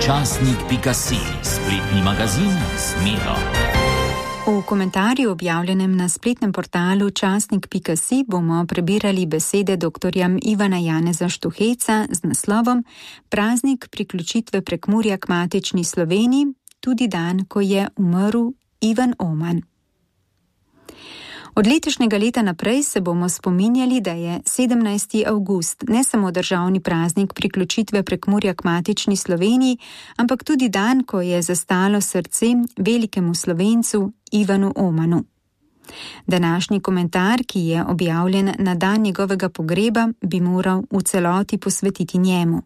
Časnik.si, spletni magazin z Miro. V komentarju objavljenem na spletnem portalu Časnik.si bomo prebirali besede doktorja Ivana Janeza Štuheca z naslovom Praznik priključitve Prekmurja k matični Sloveniji, tudi dan, ko je umrl Ivan Oman. Od letošnjega leta naprej se bomo spominjali, da je 17. avgust ne samo državni praznik priključitve Prekmurja k matični Sloveniji, ampak tudi dan, ko je zastalo srce velikemu Slovencu Ivanu Omanu. Današnji komentar, ki je objavljen na dan njegovega pogreba, bi moral v celoti posvetiti njemu.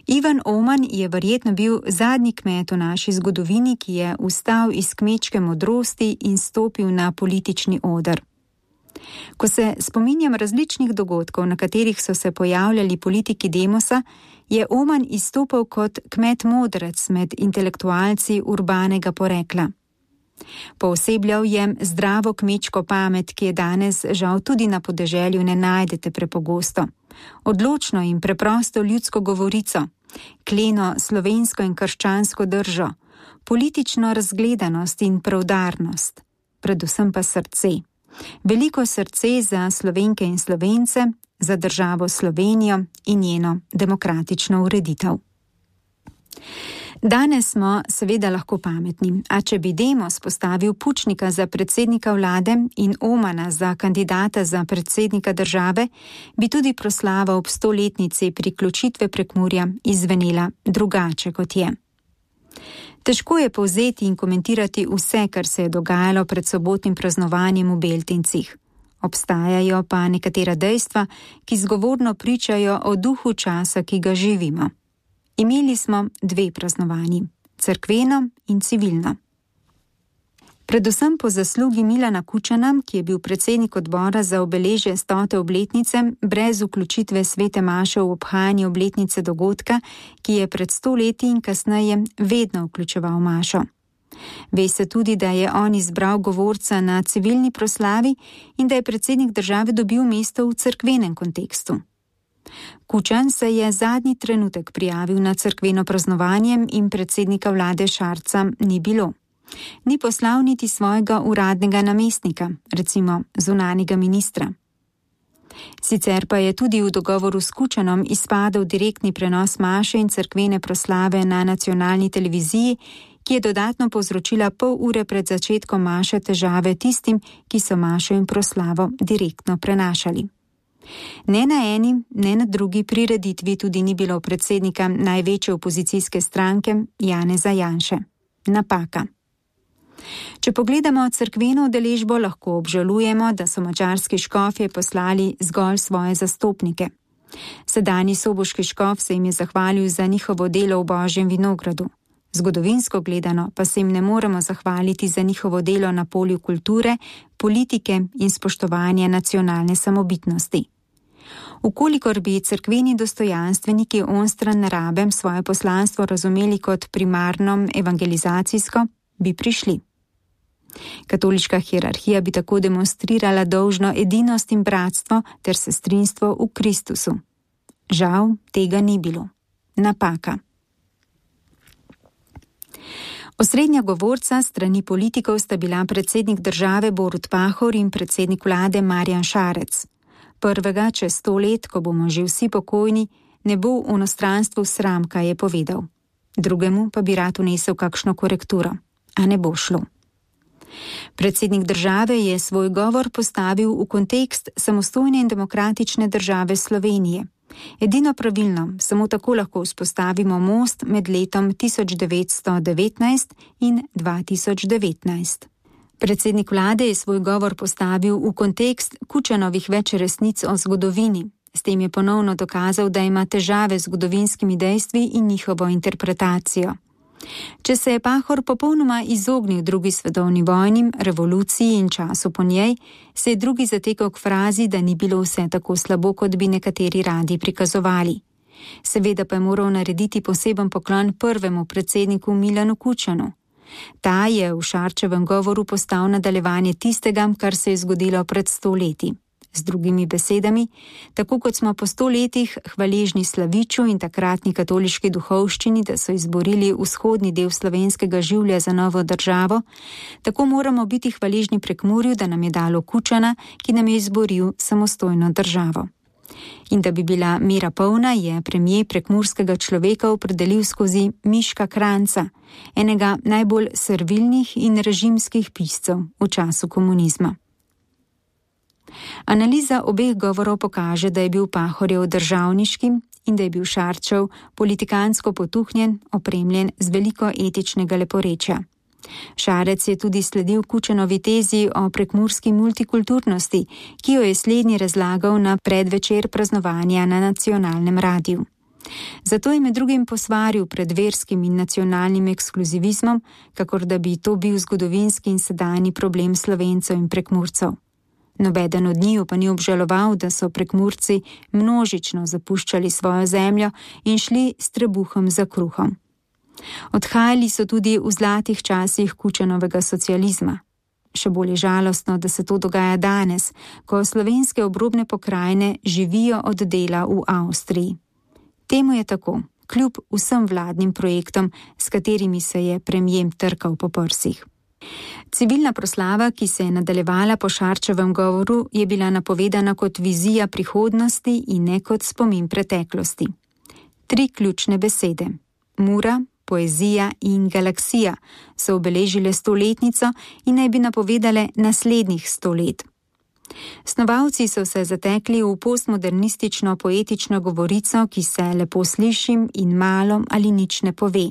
Ivan Oman je verjetno bil zadnji kmet v naši zgodovini, ki je vstal iz kmečke modrosti in stopil na politični oder. Ko se spominjam različnih dogodkov, na katerih so se pojavljali politiki demosa, je Oman izstopal kot kmet modrec med intelektualci urbanega porekla. Poosebljal je zdravo kmečko pamet, ki je danes žal tudi na podeželju ne najdete prepogosto. Odločno in preprosto ljudsko govorico, kleno slovensko in krščansko držo, politično razgledanost in preudarnost, predvsem pa srce. Veliko srce za Slovenke in Slovence, za državo Slovenijo in njeno demokratično ureditev. Danes smo seveda lahko pametni, a če bi Demos postavil Pučnika za predsednika vlade in Omana za kandidata za predsednika države, bi tudi proslava ob 100-letnici priključitve Prekmurja izvenela drugače, kot je. Težko je povzeti in komentirati vse, kar se je dogajalo pred sobotnim praznovanjem v Beltincih. Obstajajo pa nekatera dejstva, ki zgovorno pričajo o duhu časa, ki ga živimo. Imeli smo 2 praznovanji, cerkveno in civilno. Predvsem po zaslugi Milana Kučana, ki je bil predsednik odbora za obeležje 100. obletnice, brez vključitve svete maše v obhajanje obletnice dogodka, ki je pred 100 leti in kasneje vedno vključeval mašo. Ve se tudi, da je on izbral govorca na civilni proslavi in da je predsednik države dobil mesto v cerkvenem kontekstu. Kučan se je zadnji trenutek prijavil na cerkveno praznovanje in predsednika vlade Šarca ni bilo. Ni poslal niti svojega uradnega namestnika, recimo zunanjega ministra. Sicer pa je tudi v dogovoru s Kučanom izpadel direktni prenos maše in cerkvene proslave na nacionalni televiziji, ki je dodatno povzročila pol ure pred začetkom maše težave tistim, ki so mašo in proslavo direktno prenašali. Ne na eni, ne na drugi prireditvi tudi ni bilo predsednika največje opozicijske stranke Janeza Janše. Napaka. Če pogledamo cerkveno udeležbo, lahko obžalujemo, da so madžarski škofje poslali zgolj svoje zastopnike. Sedanji soboški škof se jim je zahvalil za njihovo delo v Božjem vinogradu. Zgodovinsko gledano pa se jim ne moremo zahvaliti za njihovo delo na polju kulture, politike in spoštovanja nacionalne samobitnosti. Ukolikor bi cerkveni dostojanstveniki onstran narabem svoje poslanstvo razumeli kot primarno evangelizacijsko, bi prišli. Katoliška hierarhija bi tako demonstrirala dolžno edinost in bratstvo ter sestrinstvo v Kristusu. Žal tega ni bilo. Napaka. Osrednja govorca strani politikov sta bila predsednik države Borut Pahor in predsednik vlade Marjan Šarec. Prvega čez 100 let, ko bomo že vsi pokojni, ne bo v onostranstvu sram, kaj je povedal. Drugemu pa bi rad vnesel kakšno korekturo, a ne bo šlo. Predsednik države je svoj govor postavil v kontekst samostojne in demokratične države Slovenije. Edino pravilno, samo tako lahko vzpostavimo most med letom 1919 in 2019. Predsednik vlade je svoj govor postavil v kontekst Kučanovih več resnic o zgodovini. S tem je ponovno dokazal, da ima težave z zgodovinskimi dejstvi in njihovo interpretacijo. Če se je Pahor popolnoma izognil drugi svetovni vojni, revoluciji in času po njej, se je drugi zatekal k frazi, da ni bilo vse tako slabo, kot bi nekateri radi prikazovali. Seveda pa je moral narediti poseben poklon prvemu predsedniku Milanu Kučanu. Ta je v Šarčevem govoru postal nadaljevanje tistega, kar se je zgodilo pred 100 leti. Z drugimi besedami, tako kot smo po 100 letih hvaležni Slaviču in takratni katoliški duhovščini, da so izborili vzhodni del slovenskega življa za novo državo, tako moramo biti hvaležni Prekmurju, da nam je dalo Kučana, ki nam je izboril samostojno državo. In da bi bila mera polna, je premier prekmurskega človeka opredelil skozi Miška Kranjca, enega najbolj servilnih in režimskih piscev v času komunizma. Analiza obeh govorov pokaže, da je bil Pahorjev državniški in da je bil Šarčev politikansko potuhnjen, opremljen z veliko etičnega leporečja. Šarec je tudi sledil Kučanovi tezi o prekmurski multikulturnosti, ki jo je slednji razlagal na predvečer praznovanja na nacionalnem radiju. Zato je med drugim posvaril pred verskim in nacionalnim ekskluzivizmom, kakor da bi to bil zgodovinski in sedanji problem Slovencev in Prekmurcev. Nobeden od njiju pa ni obžaloval, da so Prekmurci množično zapuščali svojo zemljo in šli s trebuhom za kruhom. Odhajali so tudi v zlatih časih Kučanovega socializma. Še bolj je žalostno, da se to dogaja danes, ko slovenske obrobne pokrajine živijo od dela v Avstriji. Temu je tako, kljub vsem vladnim projektom, s katerimi se je premier trkal po prsih. Civilna proslava, ki se je nadaljevala po Šarčevem govoru, je bila napovedana kot vizija prihodnosti in ne kot spomin preteklosti. 3 ključne besede: Mura, poezija in galaksija so obeležile 100-letnico in naj bi napovedale naslednjih 100 let. Snovalci so se zatekli v postmodernistično poetično govorico, ki se lepo slišim in malo ali nič ne pove.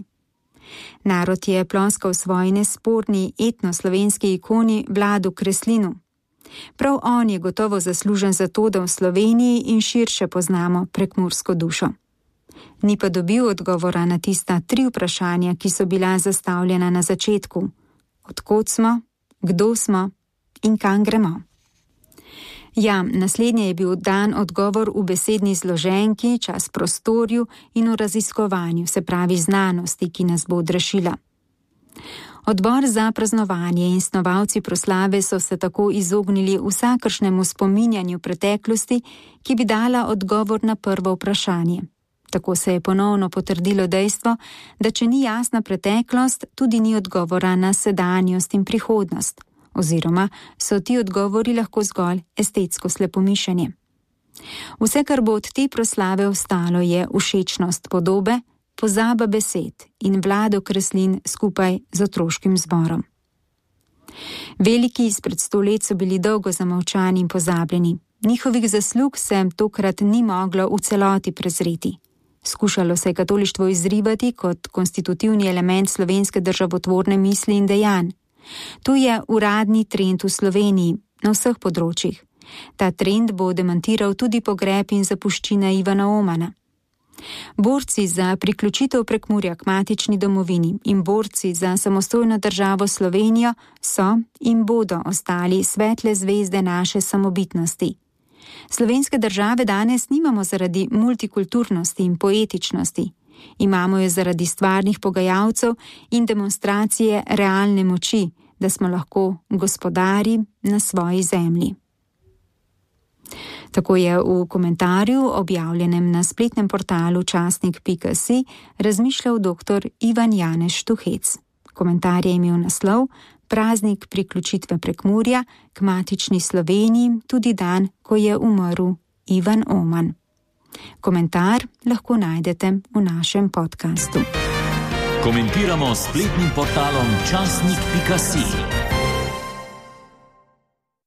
Narod je ploskal svoji nesporni etnoslovenski ikoni Vladu Kreslinu. Prav on je gotovo zaslužen za to, da v Sloveniji in širše poznamo prekmursko dušo. Ni pa dobil odgovora na tista 3 vprašanja, ki so bila zastavljena na začetku. Od kod smo, kdo smo in kam gremo? Ja, naslednje je bil dan odgovor v besedni zloženki, čas prostorju in v raziskovanju, se pravi znanosti, ki nas bo odrešila. Odbor za praznovanje in snovalci proslave so se tako izognili vsakršnemu spominjanju preteklosti, ki bi dala odgovor na prvo vprašanje. Tako se je ponovno potrdilo dejstvo, da če ni jasna preteklost, tudi ni odgovora na sedanjost in prihodnost, oziroma so ti odgovori lahko zgolj estetsko slepomišenje. Vse, kar bo od te proslave ostalo, je všečnost podobe, pozaba besed in Vlado Kreslin skupaj z otroškim zborom. Veliki izpred 100 let so bili dolgo zamolčani in pozabljeni. Njihovih zaslug se tokrat ni moglo v celoti prezreti. Skušalo se je katolištvo izrivati kot konstitutivni element slovenske državotvorne misli in dejanj. To je uradni trend v Sloveniji na vseh področjih. Ta trend bo demantiral tudi pogreb in zapuščina Ivana Omana. Borci za priključitev Prekmurja k matični domovini in borci za samostojno državo Slovenijo so in bodo ostali svetle zvezde naše samobitnosti. Slovenske države danes nimamo zaradi multikulturnosti in poetičnosti. Imamo jo zaradi stvarnih pogajalcev in demonstracije realne moči, da smo lahko gospodari na svoji zemlji. Tako je v komentarju, objavljenem na spletnem portalu časnik.si, razmišljal dr. Ivan Janez Štuhec. Komentar je imel naslov Praznik priključitve Prekmurja k matični Sloveniji, tudi dan, ko je umrl Ivan Oman. Komentar lahko najdete v našem podkastu. Komentiramo s spletnim portalom časnik.si.